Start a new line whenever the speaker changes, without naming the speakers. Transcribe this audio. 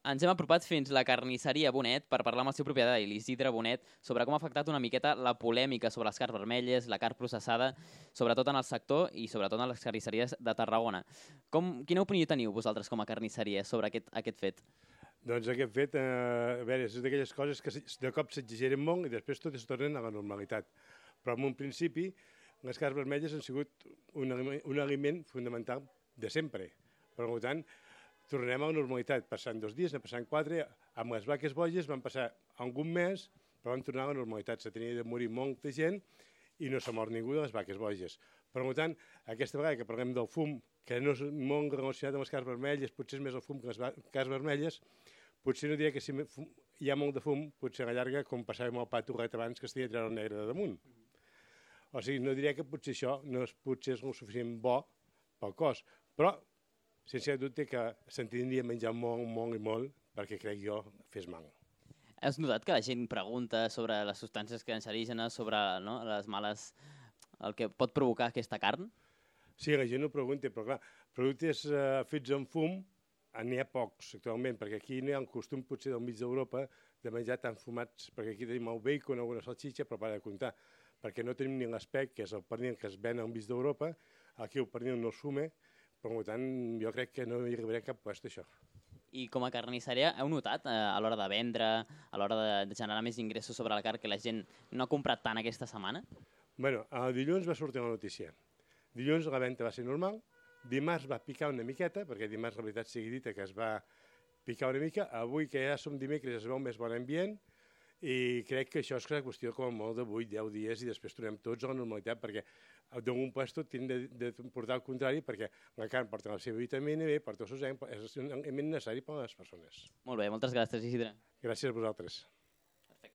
ens hem apropat fins la carnisseria Bonet per parlar amb el seu propietari, l'Isidre Bonet, sobre com ha afectat una miqueta la polèmica sobre les carns vermelles, la carn processada, sobretot en el sector i sobretot en les carnisseries de Tarragona. Quina opinió teniu vosaltres com a carnisseria sobre aquest fet?
Doncs aquest fet, a veure, és d'aquelles coses que de cop s'exageren molt i després tot es tornen a la normalitat. Però en un principi, les carns vermelles han sigut un aliment fundamental de sempre. Per tant, tornem a la normalitat. Passant 2 dies, passant 4, amb les vaques boges van passar algun mes, però van tornar a la normalitat. Se tenia de morir molta gent i no s'ha mort ningú de les vaques boges. Per tant, aquesta vegada que parlem del fum, que no és molt relacionat amb les carns vermelles, potser és més el fum que les carns vermelles, potser no diria que si hi ha molt de fum, potser a la llarga, com passàvem al pa torrat abans, que es tenia de treure el negre de damunt. O sigui, no diria que potser això no és potser el suficient bo pel cos, però sense dubte que se'n tindria de menjar molt, molt i molt, perquè crec jo fes mal.
Has notat que la gent pregunta sobre les substàncies cancerígenes, sobre les males, el que pot provocar aquesta carn?
Sí, la gent ho pregunta, però clar, productes fets amb fum n'hi ha pocs actualment, perquè aquí no hi ha un costum potser del mig d'Europa de menjar tan fumats, perquè aquí tenim el bacon, alguna salxitxa, però para de comptar, perquè no tenim ni l'espec, que és el pernil que es ven al mig d'Europa, aquí el pernil no es fume, per tant, jo crec que no hi arribaré a cap puesto, això.
I com a carnisseria, heu notat a l'hora de vendre, a l'hora de generar més ingressos sobre la carn, que la gent no ha comprat tant aquesta setmana?
Bé, el dilluns va sortir la notícia. Dilluns la venda va ser normal, dimarts va picar una miqueta, perquè dimarts, la veritat sigui dita, que es va picar una mica. Avui, que ja som dimecres, es veu més bon ambient, i crec que això és qüestió com molt de 8-10 dies i després tornem tots a la normalitat, perquè d'un puesto hem de portar el contrari, perquè la carn porta la seva vitamina B, porta el seu zinc, és un element necessari per a les persones.
Molt bé, moltes gràcies, Isidre.
Gràcies a vosaltres.